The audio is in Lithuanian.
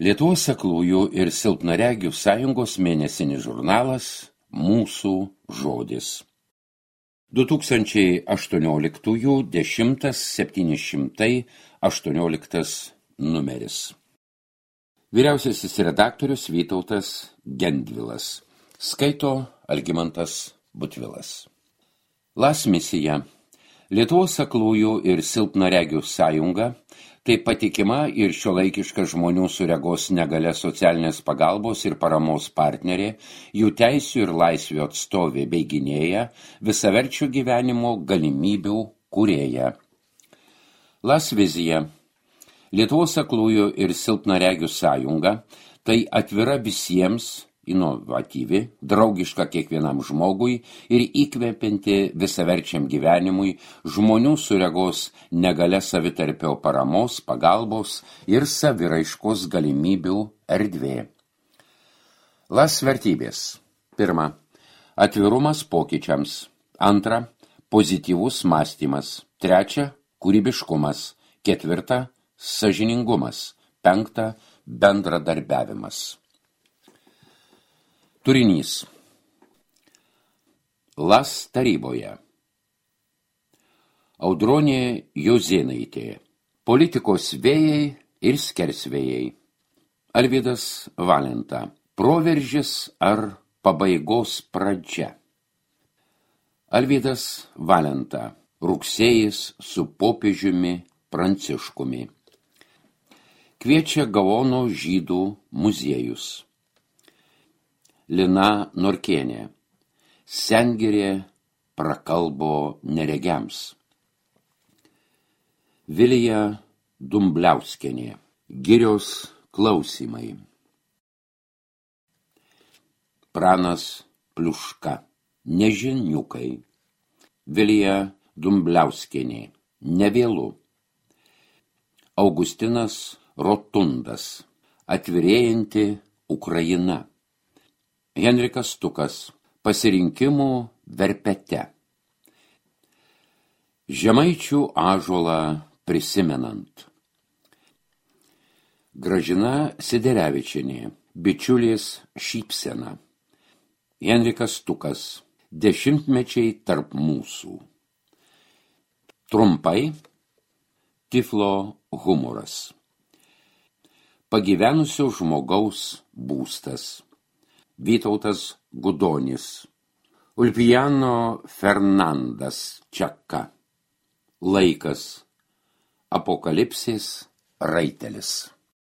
Lietuvos aklųjų ir silpnaregių sąjungos mėnesinis žurnalas Mūsų žodis. 2018 10.718 numeris. Vyriausiasis redaktorius Vytautas Gendvilas. Skaito Algimantas Butvilas. LAS misija. Lietuvos aklųjų ir silpnaregių sąjunga tai patikima ir šiuolaikiška žmonių su regos negalia socialinės pagalbos ir paramos partnerė, jų teisių ir laisvių atstovė bei gynėja, visaverčių gyvenimo galimybių kūrėja. LAS vizija. Lietuvos aklųjų ir silpnaregių sąjunga tai atvira visiems, inovatyvi, draugiška kiekvienam žmogui ir įkvepianti visaverčiam gyvenimui žmonių su regos negalia savitarpio paramos, pagalbos ir saviraiškos galimybių erdvė. LAS vertybės. 1. Atvirumas pokyčiams. 2. Pozityvus mąstymas. 3. Kūrybiškumas. 4. Sąžiningumas. 5. Bendradarbiavimas. Turinys. LAS taryboje. Audronė Jozėnaitė. Politikos vėjai ir skersvėjai. Alvydas Valenta. Proveržis ar pabaigos pradžia. Alvydas Valenta. Rugsėjis su popiežiumi Pranciškumi. Kviečia Gaono žydų muziejus. Lina Norkienė. Sengirė prakalbo neregiams. Vilija Dumbliauskienė. Girios klausymai. Pranas Pliuška. Nežiniukai. Vilija Dumbliauskienė. Nevėlu. Augustinas Rotundas. Atvirėjanti Ukraina. Henrikas Stukas. Pasirinkimų verpete. Žemaičių ąžuolą prisimenant. Gražina Siderevičienė. Bičiulės šypsena. Henrikas Stukas. Dešimtmečiai tarp mūsų. Trumpai. Tiflo humoras. Pagyvenusio žmogaus būstas. Vytautas Gudonis. Ulpiano Fernandas Čaka. Laikas. Apokalipsės raitelis.